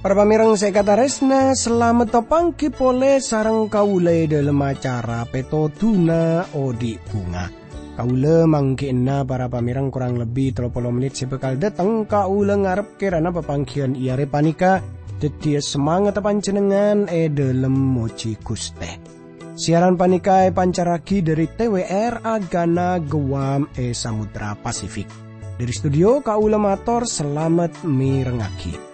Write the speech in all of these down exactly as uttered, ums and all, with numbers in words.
Para pamèrèng sè èkatarèsna, salamet apangghi polè sareng kaulâ è dhâlem acara Pètodhuna Odi' Bhunga. Kaulâ mangghi'na para pamèrèng korang lebbi tello polo mennit sè bhâkal dâteng. Kaulâ ngarep kèrana papangghiyân è arè panèka dhâddhiyâ samangatta panjhennengngan è dhâlem mojhi Ghustè. Siaran panèka èpancarraghi dhâri T W R Agana Guam è Samudra Pasifik. Dhâri studio, kaulâ mator salamet mèrengngaghi.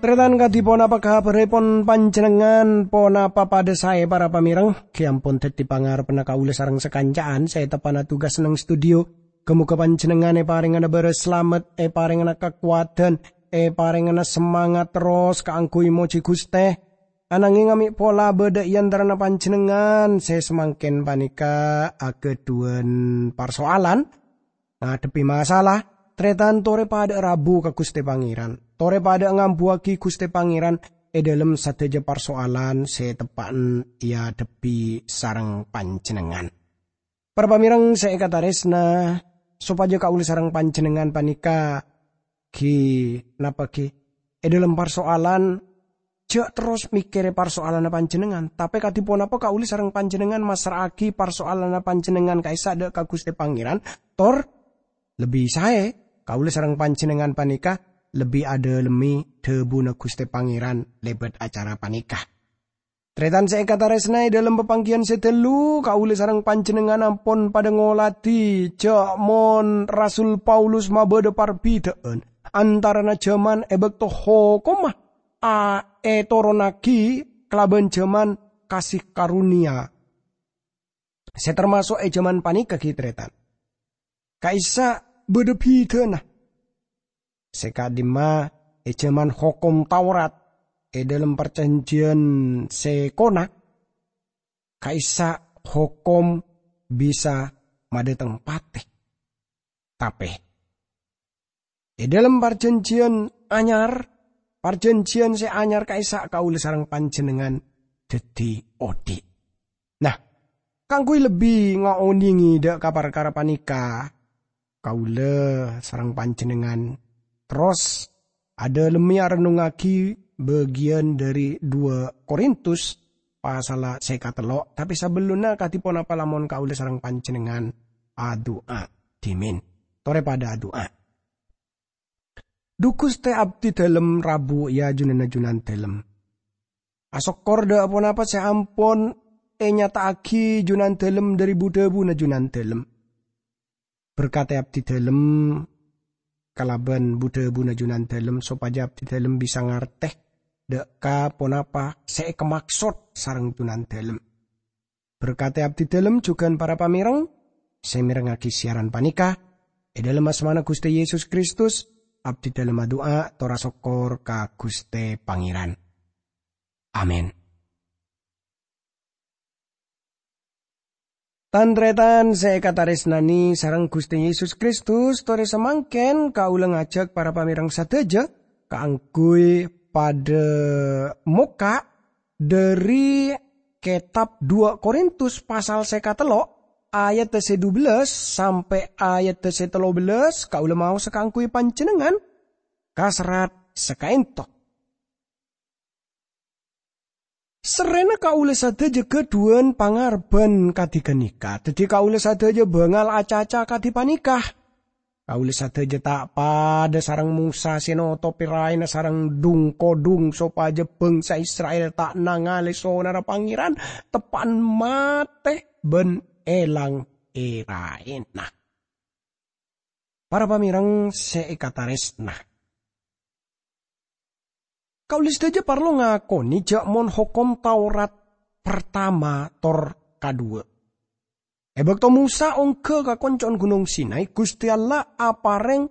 Tarètan, kadhi ponapa kabhârrèpon panjhennengngan? Ponapa padâ saè, para pamèrèng? Ghi' ampon dhâddhi pangarebbhânna kaulâ sareng sakanca'an sè teppa'na tugas neng studio. Ghâ-moghâ panjhennengngan èparèngana bârâs salamet, èparèngana kakowadhân, èparèngana samangat terros kaangghuy mojhi Ghustè. Ananghing amè' pola bâdâ è antarana panjhennengngan sè samangkèn panèka aghâdhuwân parsoalan, ngadhebbhi masalah, tarètan torè padâ'â rabu ka Ghustè Pangèran, torè padâ'â ngambuwâghi Ghustè Pangèran è dhâlem sadhâjâ parsoalan sè teppa'na èadhebbhi sareng panjhennengngan. Para pamèrèng sè èkatarèsna, sopajâ kaulâ sareng panjhennengngan panèka ghi-, napa ghi-, è dhâlem parsoalan, jhâ' terros mèkkèrè parsoalanna panjhennengngan, tapè kadhi ponapa kaulâ sareng panjhennengngan massra'aghi parsoalanna panjhennengngan ka'issa' dâ' ka Ghustè Pangèran, tor lebbi saè kaulâ sareng panjhennengngan panèka lebbi adhâlemmè dhâbuna Ghustè Pangèran lèbât acara panèka. Tarètan sè èkatarèsna, è dhâlem papangghiyân sè ghâllu, kaulâ sareng panjhennengngan ampon padâ ngolatè jhâ' mon Rasul Paulus mabâdâ parbhidhâ'ân antarana jhâman è bâkto hokomma a-, ètoronnaghi kalabân jhâman kasih karunia sè tamaso' è jhâman panèka ghi, tarètan. Ka'issa' bâdâ bhidhâna. Sè ka'dimma è jhâman Hokom Taurat, è dhâlem Parjhânjhiyân sè Kona, ka'issa' hokom bisa madâteng patè. Tapè è dhâlem Parjhânjhiyân Anyar, Parjhânjhiyân sè Anyar ka'issa' kaulâ sareng panjhennengngan dhâddhi odi'. Nah, kaangghuy lebbi ngaonèngè dâ' ka parkara panèka, kaulâ sareng panjhennengngan terros adhâlemmè arennungngaghi bâgiyân dhâri duwâ' Korintus pasalla sè katello', tapè sabellunna kadhi ponapa lamon kaulâ sareng panjhennengngan adu'a dhimèn. Torè padâ adu'a. Dhu Ghustè, abdhi dhâlem rabu è ajunanna Junandhâlem. Asokkor dâ' ponapa sè ampon ènyata'aghi Junandhâlem dhâri bu-dhâbuna Junandhâlem. Berkatè abdhi dhâlem kalabân bu-dhâbuna Junandhâlem sopajâ abdhi dhâlem bisa ngartè dâ' ka ponapa sè èkamaksod sareng Junandhâlem. Berkatè abdhi dhâlem jhughân para pamèrèng sè mèrengngaghi siaran panèka. È dhâlem asmana Ghustè Yesus Kristus, abdhi dhâlem adu'a tor asokkor ka Ghustè Pangèran. Amin. Tan-tarètan sè èkatarèsnanè sareng Ghustè Yesus Kristus, torè samangkèn kaulâ ngajhâk para pamèrèng sadhâjâ kaangghuy padâ mokka' dhâri kètab duwâ' Korintus pasal sè katello', ayadda sè dubellâs sampè' ayadda sè tello bellâs, kaulâ maosa kaangghuy panjhennengngan kaserrat sakaènto. Serrèna kaulâ sadhâjâ ghâdhuwân pangarebbhân kadhi ganèka, dhâddhi kaulâ sadhâjâ bângal acaca kadhi panèka. Kaulâ sadhâjâ ta' padâ sareng Mosa sè notopè raèna sareng dhung-kodhung sopajâ bhângsa Isra'il ta' nangalè sonarra Pangèran, teppa'na matè bân èlang è raèna. Para pamèrèng sè èkatarèsna, kaulâ sadhâjâ parlo ngakonè jhâ' mon Hokom Taurat partama tor kaduwâ'. È bâkto Mosa ongghâ ka konco'na Ghunong Sinai, Ghustè Allah aparèng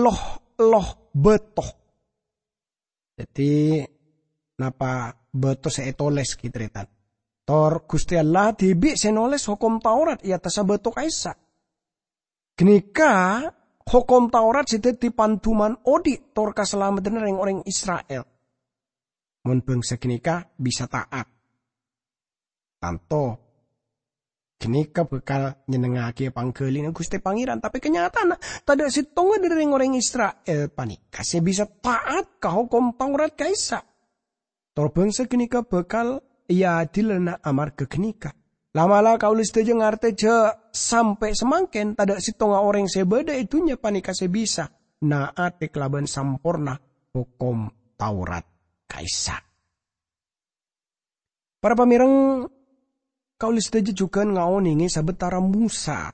lo-, lo-, bâto. Dhâddhi, napa bâto sè ètolès ghi', tarètan? Tor Ghustè Allah dhibi' sè nolès Hokom Taurat è attassa bâto ka'issa'. Ghânèka Hokom Taurat sè dhâddhi pandhuman odi' tor kasalameddhânna rèng-orèng Isra'il. Mon bhângsa ghânèka bisa ta'at, tanto ghânèka bhâkal nyennengngaghi pangghâlina Ghustè Pangèran. Tapè kanyataanna, tadâ' sèttonga dhâri rèng-orèng Isra'il panèka sè bisa ta'at ka Hokom Taurat ka'issa'. Tor bhângsa ghânèka bhâkal èadilana amarghâ ghânèka. La'-mala' kaulâ sadhâjâ ngartè jhâ' sampè' samangkèn tadâ' sèttonga orèng sè bâdâ è dhunnya panèka sè bisa na'atè kalabân samporna Hokom Taurat ka'issa'. Para pamèreng, kaulâ sadhâjâ jhughân ngaonèngè sabâtara Mosa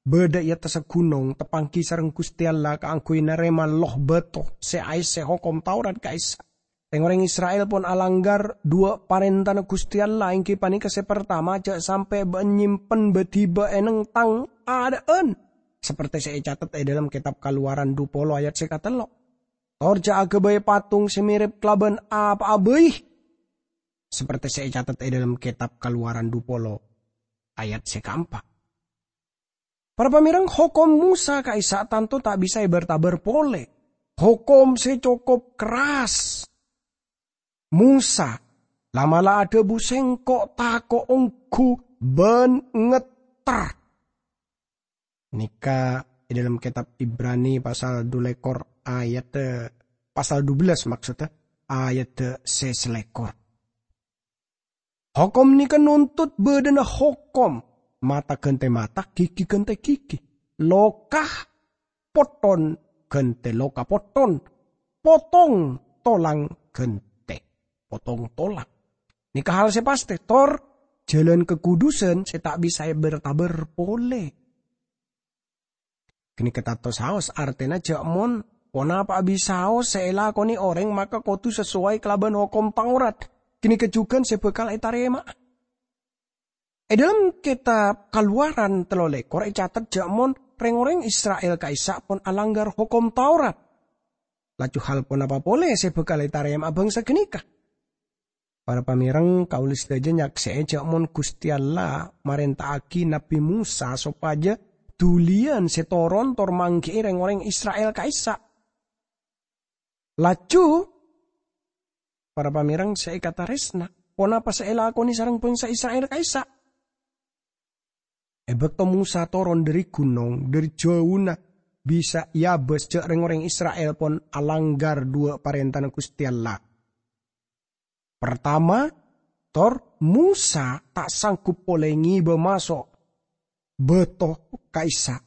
bâdâ è attassa ghunong tapanggi sareng Ghustè Allah kaangghuy narèma loh bâto sè aèssè Hokom Taurat ka'issa'. Rèng-orèng Isra'il pon alangghâr dhuwâ' parèntana Ghustè Allah, èngghi panèka sè partama, jhâ' sampè' bâ-, nyèmpen bâdhibâ è nèng tang adâ'ân, sapertè sè ècatet è dhâlem Kètab Kalowaran dhu polo ayat sè katello'. Tor jhâ' aghâbây patung sè mèrèp kalabân apa'a bhâi, sapertè sè ècatet è dhâlem Kètab Kalowaran dhu polo ayat sè kaempa'. Para pamèreng, hokom Mosa ka'issa' tanto ta' bisa èbâr-tabâr polè. Hokom sè cokop kerras. Mosa la'-mala' adhâbu, "Sèngko' tako' ongghu bân ngetter." Nèka è dhâlem kètab Ibrani pasal dhu lèkor ayat, eh, pasal dubellâs maksodda, ayat sè salèkor. Hokom nèka nontot bâdâna hokom, mata ghântè mata, ghighi ghântè ghighi, loka potton ghântè loka potton, potong tolang ghântè potong tolang. Nèka hal sè pastè, tor jhâlân kakudusân sè ta' bisa èbâr-tabâr polè. Ghânèka tanto saos, artèna jhâ' mon ponapa'a bisaos sè èlakonè orèng maka kodhu sasowai kalabân Hokom Taurat. Ghânèka jhughân sè bhâkal ètarèma'a. È dhâlem Kètab Kalowaran tello lèkor ècatet jhâ' mon rèng-orèng Isra'il ka'issa' pon alangghâr Hokom Taurat, laju hal ponapa polè sè bhâkal ètarèma'a bhângsa ghânèka? Para pamèreng, kaulâ sadhâjâ nyaksè'è jhâ' mon Ghustè Allah marènta'aghi Nabbhi Mosa sopajâ dhuliyân sè toron tor mangghi'i rèng-orèng Isra'il ka'issa'. Laju, para pamèreng sè èkatarèsna, ponapa sè èlakonè sareng bhângsa Isra'il ka'issa'? È bâkto Mosa toron dhâri ghunong, dhâri jhâuna bisa èabâs jhâ' rèng-orèng Isra'il pon alangghâr dhuwâ' parèntana Ghustè Allah. Partama, tor Mosa ta' sanggup polè ngèbâ maso' bâto ka'issa'.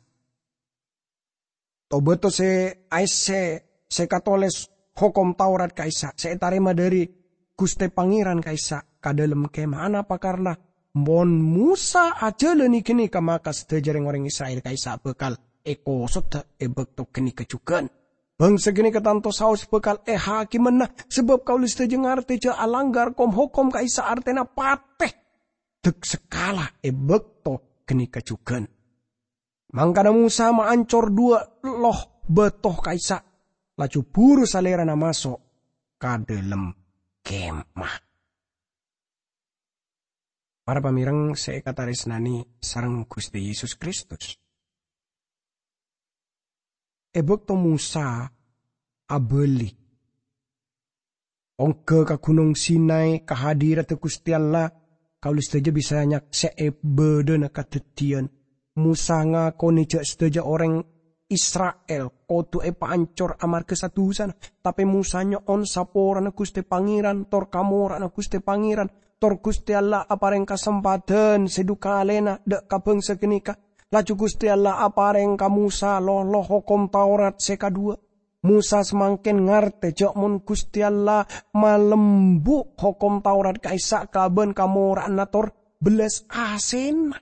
To-bâto sè aèssè sè katolès Hokom Taurat ka'issa', sè ètarèma dhâri Ghustè Pangèran ka'issa' ka dhâlem kemah. Anapa? Karna mon Mosa ajhâlânè ghânèka, maka sadhâjâ rèng-orèng Isra'il ka'issa' bhâkal èkosodhâ è bâkto ghânèka jhughân. Bhângsa ghânèka tanto saos bhâkal èhakimana, sabâb kaulâ sadhâjâ ngartè jhâ' alangghâr kom-hokom ka'issa' artèna patè dâk-sakalâ è bâkto ghânèka jhughân. Mangkana Mosa maancor dhuwâ' loh bâto ka'issa', laju buru salèrana maso' ka dhâlem kemah. Para pamèreng sè èkatarèsnanè sareng Ghustè Yesus Kristus. È bâkto Mosa abâli ongghâ ka Ghunong Sinai, ka hadiratta Ghustè Allah, kaulâ sadhâjâ bisa nyaksè'è bâdâna kadhâddhiyân. Mosa ngakonè jhâ' sadhâjâ orèng Isra'il kodhu èpaancor amarghâ sa-dusana, tapè Mosa nyo'on saporana Ghustè Pangèran, tor kamora'anna Ghustè Pangèran, tor Ghustè Allah aparèng kasempadhân sè dhu kalèna dâ' ka bhângsa ghânèka. Laju Ghustè Allah aparèng ka Mosa lolo Hokom Taurat sè kadhuwâ'. Mosa samangkèn ngartè jhâ' mon Ghustè Allah malembu' Hokom Taurat ka'issa' kalabân kamora'anna tor bellas asèna.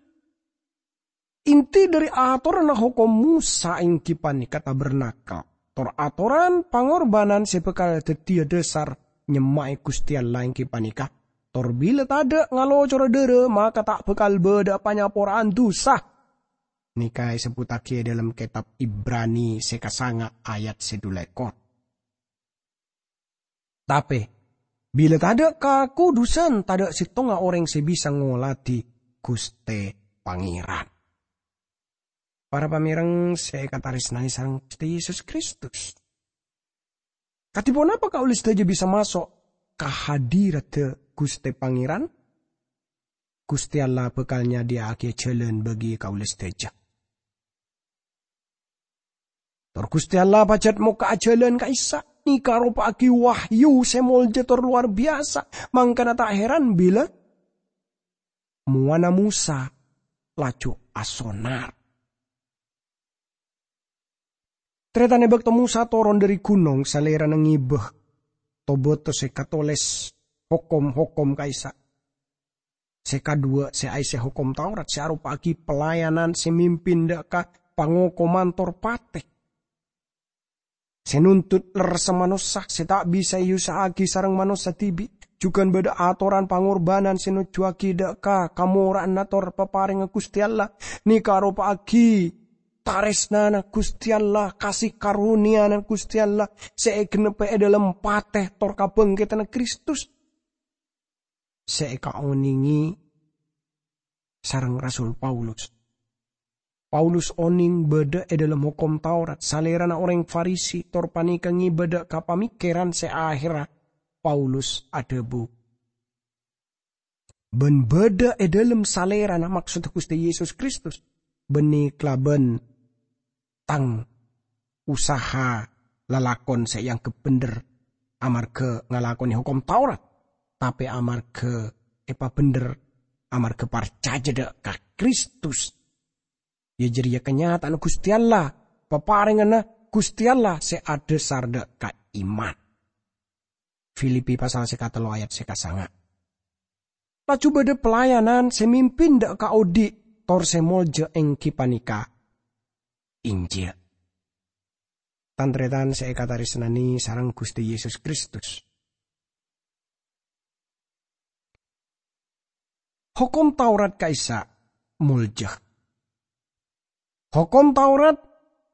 Inti dhâri atoranna Hokom Mosa èngghi panèka tabernakel, tor atoran pangorbhânan sè bhâkal dhâddhiyâ dhâsar nyemma'è Ghustè Allah èngghi panèka, "Tor bilâ tadâ' ngalocora dhârâ, maka ta' bhâkal bâdâ'â panyapora'an dhusa." Nèka èsebbhuttaghi è dhâlem kètab Ibrani sè kasanga' ayat sè dhu lèkor. Tapè, bilâ tadâ' kakoddhusân, tadâ' sèttonga orèng sè bisa ngoladhi Ghustè Pangèran. Para pamèreng sè èkatarèsnanè sareng Ghustè Yesus Kristus, kadhi ponapa kaulâ sadhâjâ bisa maso' ka hadiradhâ Ghustè Pangèran? Ghustè Allah bhâkal nyadhiyâ'aghi jhâlân bagi kaulâ sadhâjâ. Tor Ghustè Allah pajhât mokka'a jhâlân ka'issa', nèka aropa'aghi wahyu sè molja tor lowar biyasa, mangkana ta' heran bilâ mowana Mosa laju asonar. Tarètan è bâkto Mosa toron dhâri ghunong, Salèrana ngibâ to-bâto sè katolès hokom-hokom ka'issa'. Sè kaduwâ', sè aèssè Hokom Taurat sè aropa'aghi pelayanan sè mimpin dâ' ka pangokoman tor patè, sè nuntut lerressa manossa sè ta' bisa èyusa'aghi sareng manossa dhibi'. Jhughân bâdâ atoran pangorbanan sè nojjuwâghi dâ' ka kamora'anna tor paparèngnga Ghustè Allah, nèka aropa'aghi tarèsnana Ghustè Allah, kasè karonèyana Ghustè Allah sè ègennebbhâ è dhâlem patè tor kabhângkèdhânna Kristus. Sè èkaonèngè sareng Rasul Paulus. Paulus onèng bâdâ è dhâlem Hokom Taurat, salèrana orèng Farisi, tor panèka ngibâ dâ' ka pamèkkèran sè ahèrra. Paulus adhâbu, "Bân bâdâ è dhâlem salèrana," maksodda Ghustè Yesus Kristus, "bânnè kalabân tang usaha lalakon sè èangghep bhendher amarghâ ngalakonè Hokom Taurat, tapè amarghâ èpabhendher amarghâ parcajâ dâ' ka Kristus. Iyâ jârèya kanyata'anna Ghustè Allah, paparèngnganna Ghustè Allah sè adhâsar dâ' ka iman." Filipi pasal sè katello ayat sè kasanga'. Laju bâdâ pelayanan sè mimpin dâ' ka odi', tor sè molja èngghi panèka Injil. Tan-tarètan sè èkatarèsnanè sareng Ghustè Yesus Kristus. Hokom Taurat ka'issa' molja. Hokom Taurat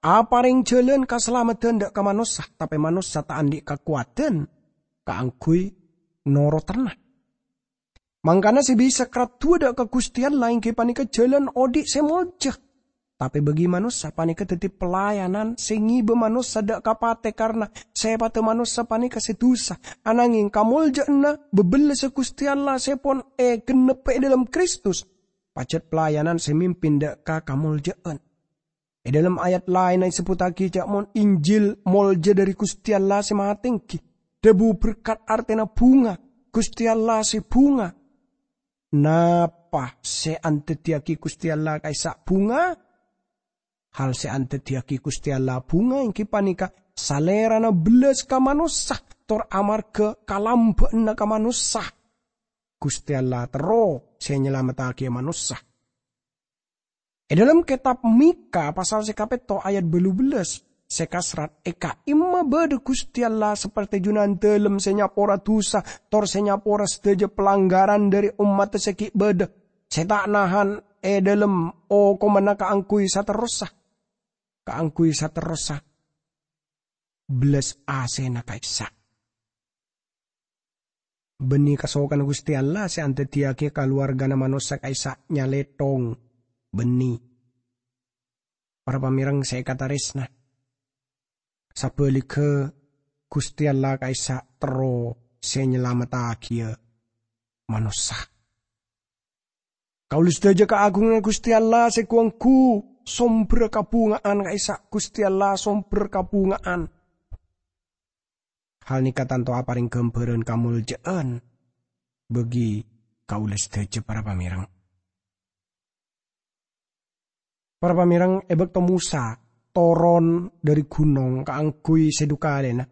aparèng jhâlân kasalameddhân dâ' ka manossa, tapè manossa ta' andi' kakowadhân kaangghuy norottana. Mangkana sè bisa karaddhuwâ dâ' ka Ghustè Allah èngghi panèka jhâlân odi' sè molja. Tapè bagi manossa panèka dhâddhi pelayanan sè ngibâ manossa dâ' ka patè karna sèpaddhâ manossa panèka sè dhusa. Ananghing kamolja'anna bâbellâssa Ghustè Allah sè pon ègennebbhâ è dhâlem Kristus, pajhât pelayanan sè mimpin dâ' ka kamolja'an. È dhâlem ayat laènna èsebbhuttaghi jhâ' mon Injil molja dhâri Ghustè Allah sè matèngghi, dhâbu berkat artèna bhunga, Ghustè Allah sè bhunga. Napa sè andhâddhiyâghi Ghustè Allah ka'issa' bhunga? Hal sè andhâddhiyâghi Ghustè Allah bhunga èngghi panèka Salèrana bellas ka manossa, tor amarghâ kalambâ'ânna ka manossa, Ghustè Allah terro sè nyalamettaghi manossa. È dhâlem kètab Mikha pasal sè kapètto ayat bâllu bellâs, sè kaserrat, "È ka'imma bâdâ Ghustè Allah saperte Junandâ sè nyapora dhusa, tor sè nyapora sadhâjâ palanggaran dhâri ommaddhâ sè ghi' bâdâ, sè ta' nahan è dhâlem okomanna kaangghuy saterrossa, kaangghuy saterrossa bellas asèna ka'issa'." Bânnè kasokanna Ghustè Allah sè andhâddhiyâghi kalowarghâna manossa ka'issa' nyalèthong bânnè. Para pamèreng sè èkatarèsna, sabhâligghâ Ghustè Allah ka'issa' terro sè nyalamettaghiyâ manossa. Kaulâ sadhâjâ kaagunganna Ghustè Allah sè ghu-ongghu sombherra kabhunga'an ka'issa', Ghustè Allah sombher kabhunga'an. Hal nèka tanto aparèng ghâmbhârân kamoljâ'ân bagi kaulâ sadhâjâ, para pamèreng. Para pamèreng, è bâkto Mosa toron dhâri ghunong kaangghuy sè dhu kalèna,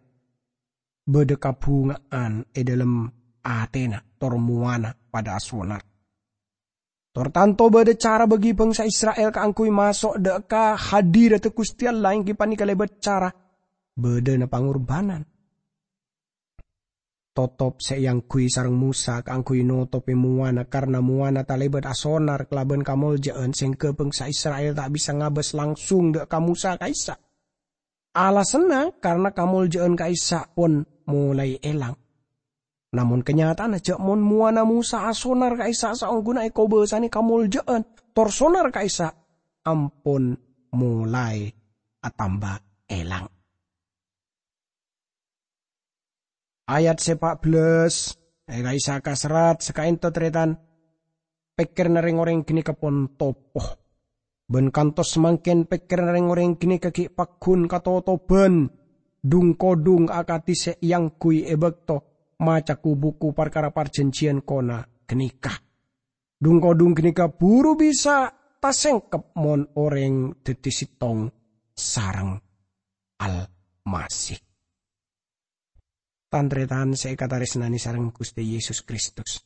bâdâ kabhunga'an è dhâlem atèna, tor mowana padâ asonar. Tor tanto bâdâ cara bagi bhângsa Isra'il kaangghuy maso' dâ' ka hadiradhâ Ghustè Allah, èngghi panèka lèbât cara bâdâna pangorbhânan. Totop sè èangghuy sareng Mosa kaangghuy notopè mowana, karna mowana talèbât asonar kalabân kamoljâ'ân, sehingga bhângsa Isra'il ta' bisa ngabâs langsung dâ' ka Mosa ka'issa'. Alasanna karna kamoljâ'ân ka'issa' pon molaè èlang. Namong kanyata'anna ja' mon mowana Mosa asonar ka'issa' saongghuna ekobasane kamolja'an, tor sonar ka'issa' ampon molae atamba elang. Ayat se pa' bellas, e ka'issa' kaserrat sakaento, taretan, pekkeranna reng-oreng ganeka pon topo. Ban kantos samangken pekkeranna reng-oreng ganeka gi' paggun katotoban dhung-kodhung akadi se eangguy e bakto maca ku-buku parkara parjanjiyan kona ganeka. Dhung-kodhung ganeka buru bisa tasengkep mon oreng daddi settong sareng Almasih. Tan-taretan se ekataresnane sareng Guste Yesus Kristus.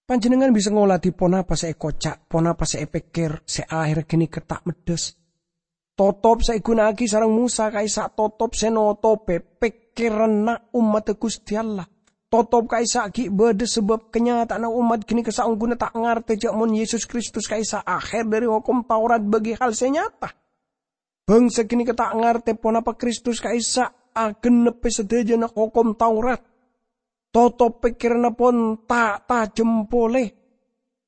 Panjennengngan bisa ngoladi ponapa se ekoca', ponapa se epekker, se aherra ganeka ta' meddas. Totop se eguna'agi sareng Mosa ka'issa' totop se notope pekkeranna ommadda Guste Allah. Totop ka'issa' gi' badha sabab kanyata'anna ommat ganeka saongghuna ta' ngarte ja' mon Yesus Kristus ka'issa' aher dhari Hokom Taurat bagi hal se nyata. Bangsa ganeka ta' ngarte ponapa Kristus ka'issa' agenneppe sadajana Hokom Taurat. Totop pekkeranna pon ta' tajem pole.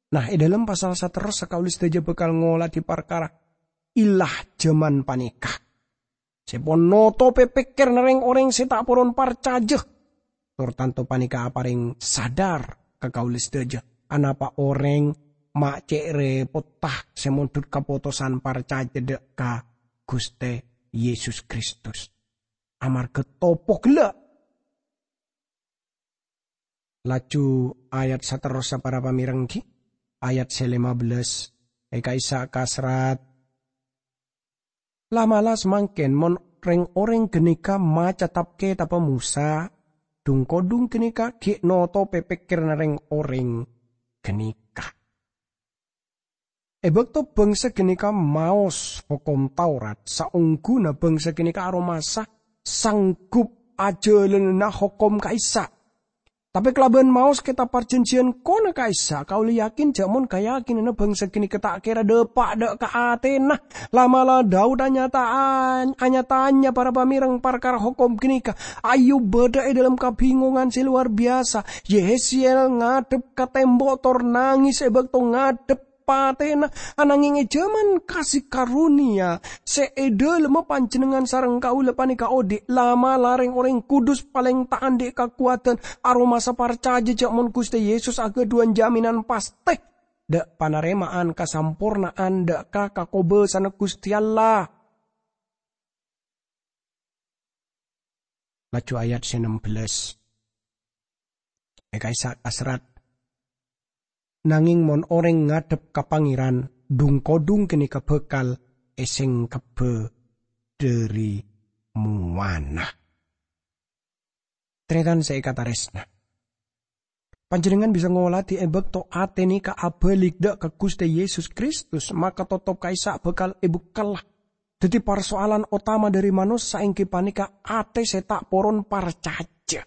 Nah, e dhalem pasal saterrossa kaula sadaja bakal ngoladi parkara illah jaman paneka. Se pon notope pekkeranna reng-oreng se ta' poron parcaja. Tor tanto paneka apareng sadar ka kaula sadaja, anapa oreng ma' ce' repotta se mondhut kapotosan parcaja dha' ka Guste Yesus Kristus. Amarga topo gella'. Laju ayat saterrossa para pamereng ghi, ayat se lima belas, e ka'issa' kaserrat, "La'-mala' samangken mon reng-oreng ganeka maca tap-ketabba Mosa, dhung-kodhung ganeka gi' notope pekkeranna reng-oreng ganeka." E bakto bangsa ganeka maos Hokom Taurat, saongghuna bangsa ganeka aromasa sanggup ajalanana hokom ka'issa'. Tape kalaban maos Ketab Parjanjiyan kona ka'issa', kaula yakin ja' mon kayakinanna bangsa ganeka ta' kera dapa' dha' ka atena. La'-mala' Daud anyata'an-, anya-tanya para pamereng parkara hokom ganeka. Ayub badha e dhalem kabingongan se lowar biyasa. Yehezkiel ngadhep ka tembo' tor nangis e bakto ngadhep patena, anangeng e jaman kasih karunia se e dhalemma panjennengngan sareng kaula paneka odhi', la'-mala' reng-oreng kudus paleng ta' andhi' kakowadan aromasa parcaja ja' mon Guste Yesus agadhuwan jaminan paste dha' panarema'an kasamporna'an dha' ka kakobasanna Guste Allah. Laju ayat se nem belas. E ka'issa' kaserrat, "Nangeng mon oreng ngadhep ka Pangeran, dhung-kodhung ganeka bakal esengkebba dhari mowana." Taretan se ekataresna. Panjennengngan bisa ngoladi e bakto ate neka abalik dha' ka Guste Yesus Kristus, maka totop ka'issa' bakal ebukkella. Daddi, parsoalan otama dhari manossa enggi paneka ate se ta' poron parcaja.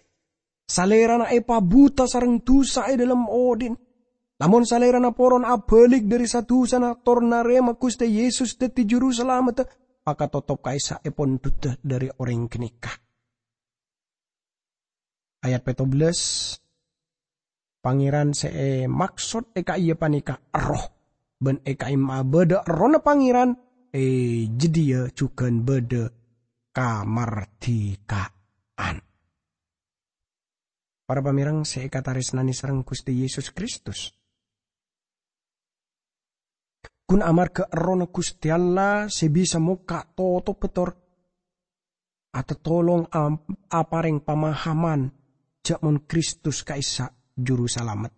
Salerana epabuta sareng dusa e dhalem odhi'na. Lamon salerana poron abalik dhari sa-dusana tor narema Guste Yesus daddi Juru Salameddhâ, maka totop ka'issa' epon duda dhari oreng ganeka. Ayat petto belas, Pangeran se emaksod e ka'iyâ paneka Erroh, ban e ka'imma'a badha Errohna Pangeran, e jadhiya jugan badha kamardhikaan. Para pamereng se ekataresnane sareng Guste Yesus Kristus. Gun amarga Errohna Guste Allah se bisa mokka' totobba tor atatolong am-, apareng pamahaman ja' mon Kristus ka'issa' Juru Salamet.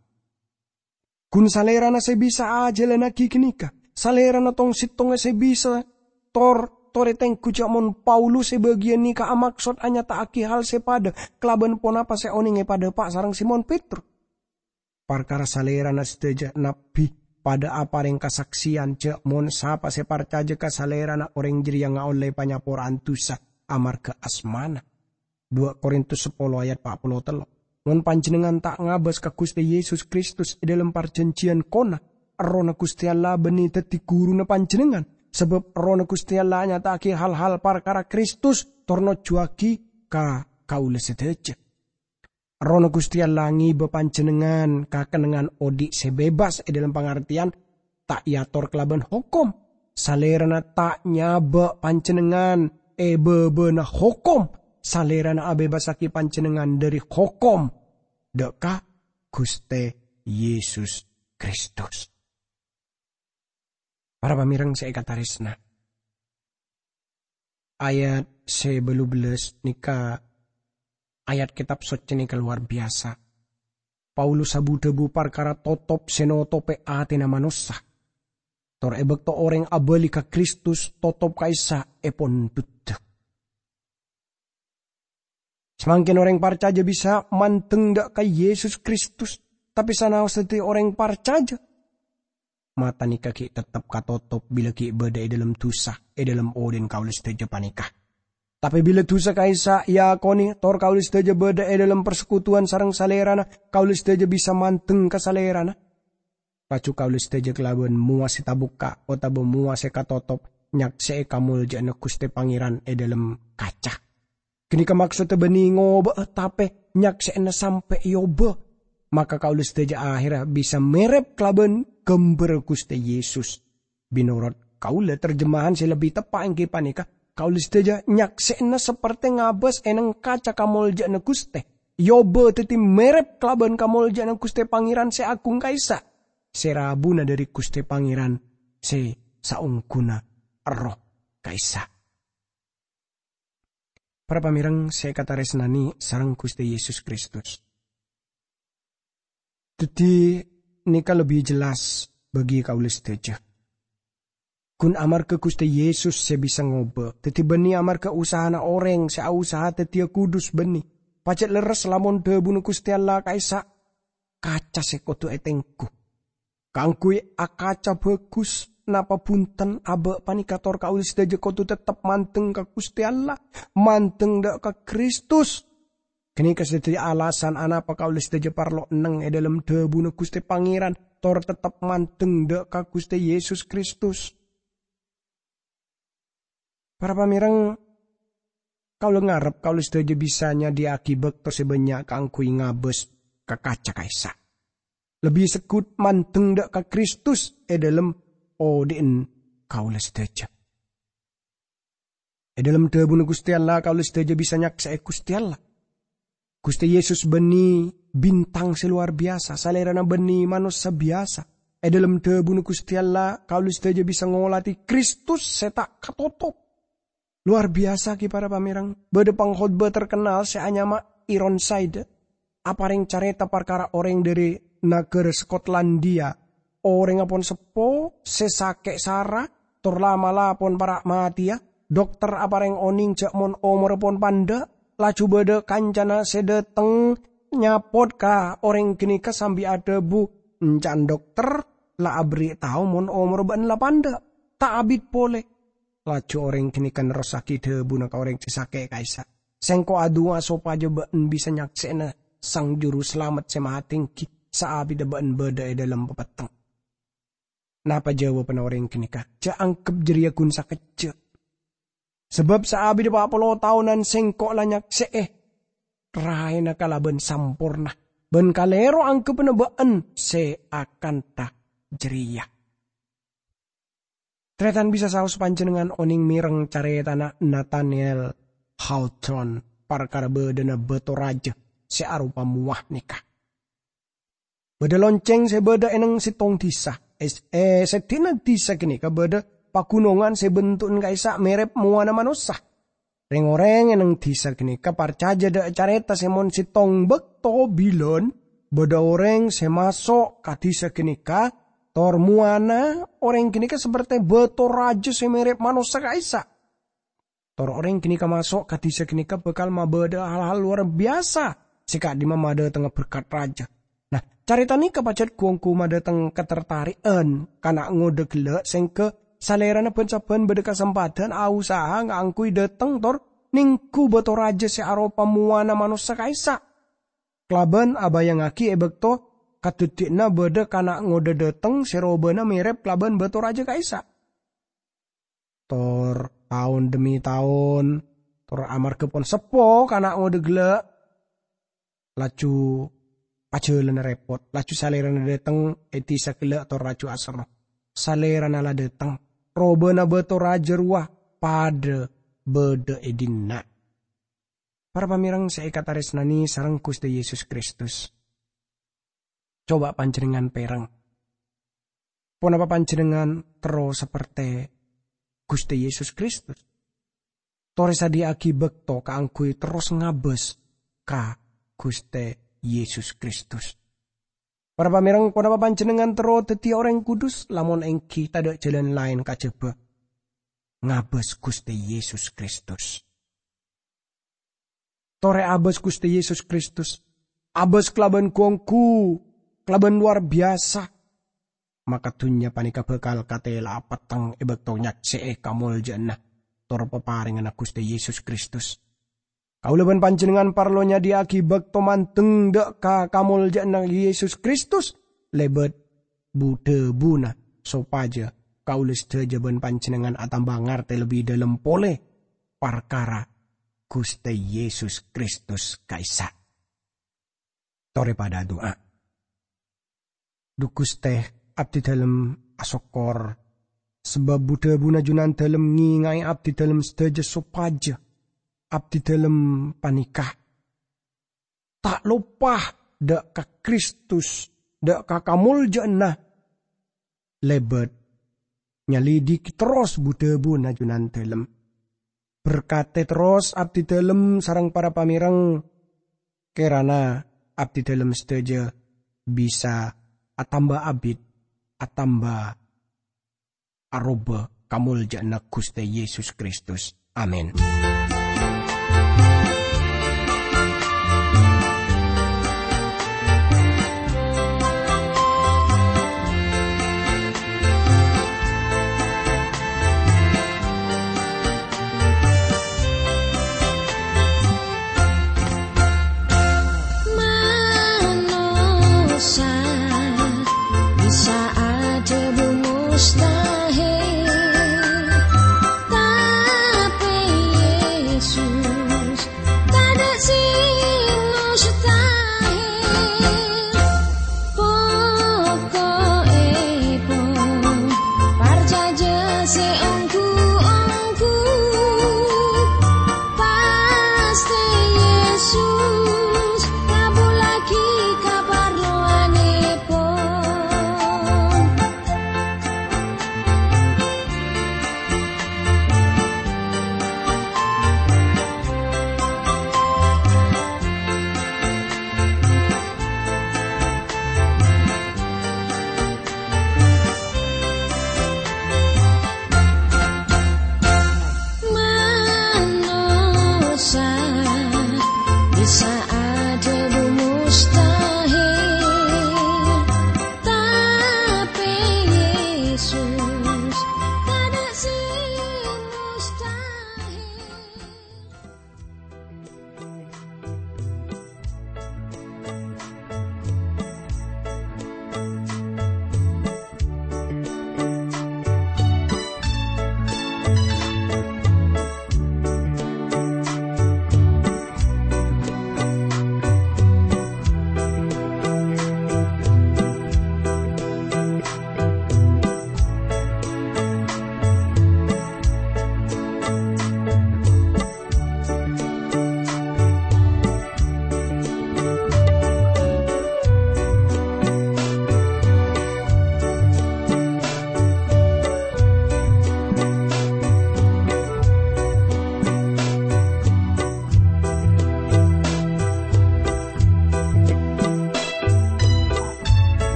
Gun Salerana se bisa ajalannagi ganeka, Salerana tong-settonga se bisa tor-, tore tenggu ja' mon Paulus e bagiyan neka amaksod anyata'agi hal se padha kalaban ponapa se oneng epadhapa' sareng Simon Petrus. Parkara Salerana sadaja nabbi padha apareng kasakseyan ja' mon sapa se parcaja ka Salerana oreng jareya ngaolle panyapora'an dusa amarga asmana. Dua Korintus sapolo ayat pa' polo tello'. Mon panjennengngan ta' ngabas ka Guste Yesus Kristus e dhalem parjanjiyan kona, Errohna Guste Allah banne daddi guruna panjennengngan, sabab Errohna Guste Allah anyata'agi hal-hal parkara Kristus tor nojjuwagi ka kaulâ sadhâjâ. Errohna Ghustè Allah ngibâ panjhennengngan ka kennengngan odi' sè bebas è dhâlem pangartèyan ta' èator kalabân hokom. Salèrana ta' nyabâ' panjhennengngan è bâbâna hokom. Salèrana abebasaghi panjhennengngan dhâri hokom dâ' ka Ghustè Yesus Kristus. Para pamèreng sè èkatarèsna, ayat sè bâllu bellâs nèka, ayat Kètab Soccè nèka lowar biyasa. Paulus abu-dhâbu parkara totop sè notopè atèna manossa. Tor è bâkto orèng abâli ka Kristus, totop ka'issa' èpondhuddhâ. Samangkèn orèng parcajâ bisa mandeng dâ' ka Yesus Kristus, tapè sanaos dhâddhi orèng parcajâ, mata nèka ghi' teptep katotop bilâ ghi' bâdâ è dhâlem dhusa è dhâlem odhi'na kaulâ sadhâjâ panèka. Tapè bilâ dhusa ka'issa' èakonè, tor kaulâ sadhâjâ bâdâ è dhâlem parsekutuwan sareng Salèrana, kaulâ sadhâjâ bisa mandeng ka Salèrana. Laju kaulâ sadhâjâ kalabân mowa sè tabukka' otabâ mowa sè katotop nyaksè'è kamoljâ'ânna Ghustè Pangèran è dhâlem kaca. Ghânèka maksodda bânnè ngobâ'â, tapè nyaksè'ana sampè' èobâ. Maka kaulâ sadhâjâ ahèrra bisa mèrèp kalabân ghâmbhârrâ Ghustè Yesus. Mènorot kaulâ, terjemahan sè lebbi teppa' èngghi panèka, kaulâ sadhâjâ nyaksè'ana sapertè ngabâs è nèng kaca kamoljâ'ânna Ghustè. Èobâ dhâddhi mèrèp kalabân kamoljâ'ânna Ghustè Pangèran sè aghung ka'issa', sè rabuna dhâri Ghustè Pangèran sè saongghuna Erroh ka'issa'. Para pamèreng sè èkatarèsnanè sareng Ghustè Yesus Kristus. Dhâddhi, nèka lebbi jelas bagi kaulâ sadhâjâ. Ghun amarghâ Ghustè Yesus sè bisa ngobâ, dhâddhi bânnè amarghâ usahana orèng sè ausaha dhâddhiyâ kudus bânnè. Pajhât lerres lamon dhâbuna Ghustè Allah ka'issa', kaca sè kodhu ètengghu. Kaangghuy akaca bhâghus, napa bhunten abâ' panèka tor kaulâ sadhâjâ kodhu teptep mandeng ka Ghustè Allah, mandeng dâ' ka Kristus. Ghânèka sè dhâddhi alasan anapa kaulâ sadhâjâ parlo nèng è dhâlem dhâbuna Ghustè Pangèran, tor teptep mandeng dâ' ka Ghustè Yesus Kristus. Para pamèreng, kaulâ ngarep kaulâ sadhâjâ bisa nyadhiyâ'aghi bâkto sè bânnya' kaangghuy ngabâs ka kaca ka'issa'. Lebbi segghut mandeng dâ' ka Kristus è dhâlem odhi'na kaulâ sadhâjâ. È dhâlem dhâbuna Ghustè Allah, kaulâ sadhâjâ bisa nyaksè'è Ghustè Allah. Ghustè Yesus bânnè bintang sè lowar biyasa, Salèrana bânnè manossa biyasa. È dhâlem dhâbuna Ghustè Allah, kaulâ sadhâjâ bisa ngolatè Kristus sè ta' katotop. Lowar biyasa ghi, para pamèreng. Bâdâ pangkhotbah terkenal sè anyama Ironside aparèng carèta parkara orèng dhâri naghârâ Skotlandia. Orèngnga pon seppo, sè sakè' sara, tor la'-mala' pon para' matèya. Dokter aparèng onèng jâ' mon omorra pon pandâ', laju bâdâ kancana sè dâteng nyapot ka orèng ghânèka sambi adhâbu, "Ènca'na dokter la aberri' tao mon omorra bâ'na la pandâ', ta' abit polè." Laju orèng ghânèka nerrossaghi dhâbuna ka orèng sè sakè' ka'issa', "Sèngko' adu'a sopajâ bâ'na bisa nyaksè'ana Sang Jurusalamet sè matè èngghi saabiddhâ bâ'na bâdâ è dhâlem papetteng." Napa jâwâbhânna orèng ghânèka? "Jhâ' angghep jârèya ghun sakejjhâ'. Sabâb saabiddhâ pa' polo taonan sèngko' la nyaksè'è raèna kalabân samporna, bân kalèro angghebbhâ bâ'na sè akantha jârèya." Tarètan bisa saos panjhennengngan onèng mèreng carètana Nathaniel Hawthorne parkara bâdâna bâto rajâ sè aropa mowa nèka. Bâdâ loncèng sè bâdâ è nèng sèttong dhisa. È, è seddi'na dhisa ghânèka bâdâ paghunongan sè bentu'na ka'issa' mèrèp mowana manossa. Rèng-orèng è nèng dhisa ghânèka parcajâ dâ' carèta sè mon sèttong bâkto bilân bâdâ orèng sè maso' ka dhisa ghânèka, tor mowana orèng ghânèka sapertè bâto rajâ sè mèrèp manossa ka'issa'. Tor orèng ghânèka maso' ka dhisa ghânèka bhâkal mabâdâ'â hal-hal lowar biyasa sè ka'dimma madâtengnga berkat rajâ. Nah, carèta nèka pajhât ghu-ongghu madâteng katartari'ân kana' ngodâ ghellâ' sèngghâ salèrana bân-sabbhân bâdâ kasempadhân ausaha kaangghuy dâteng tor nèngghu bâto rajâ sè aropa mowana manossa ka'issa'. Kalabân abâjângngaghi è bâkto kadhâddhi'ânna bâdâ kana' ngodâ dâteng sè robâna mèrèp kalabân bâto rajâ ka'issa'. Tor taon dhemmi taon, Tor amarghâ pon seppo kana' ngodâ ghellâ', laju ajhâlânna rèpot, laju salèrana dâteng è dhisa ghellâ' tor laju aserro. Salèrana la dâteng, robâna bâto rajâ rowa padâ bâdâ è dinna'. Para pamèreng sè èkatarèsnanè sareng Ghustè Yesus Kristus, coba panjhennengngan pèreng. Ponapa panjhennengngan terro saperte Ghustè Yesus Kristus? Torè sadhiyâ'aghi bâkto kaangghuy terros ngabâs ka Ghustè Yesus Kristus. Para pamèreng, ponapa panjhennengngan terro dhâddhiyâ orèng kudus? Lamon èngghi, tadâ' jhâlân laèn kajhâbhâ ngabâs Ghustè Yesus Kristus. Torè abâs Ghustè Yesus Kristus. Abâs kalabân ghu-ongghu, kalabân lowar biyasa. Maka dhunnya panèka bhâkal katèla'a petteng è bâkto nyaksè'è kamoljâ'ânna tor paparènganna Ghustè Yesus Kristus. Kaulâ bân panjhennengngan parlo nyadhiyâ'aghi bâkto mandeng dâ' ka kamoljâ'ânna Yesus Kristus lèbât bu-dhâbuna, sopajâ kaulâ sadhâjâ bân panjhennengngan atamba ngartè lebbi dhâlem polè parkara Ghustè Yesus Kristus ka'issa'. Torè padâ adu'a. Dhu Ghustè, abdhidhâlem asokkor, sabâb bu-dhâbuna Junandhâlem ngènga'è abdhidhâlem sadhâjâ sopajâ abdhidhâlem panèka ta' loppa dâ' ka Kristus, dâ' ka kamoljâ'ânna lèbât nyalidhighi terros bu-dhâbuna Junandhâlem. Berkatè terros abdhidhâlem sareng para pamèreng, kèrana abdhidhâlem sadhâjâ bisa atamba abit, atamba aroba kamoljâ'ânna Ghustè Yesus Kristus. Amin.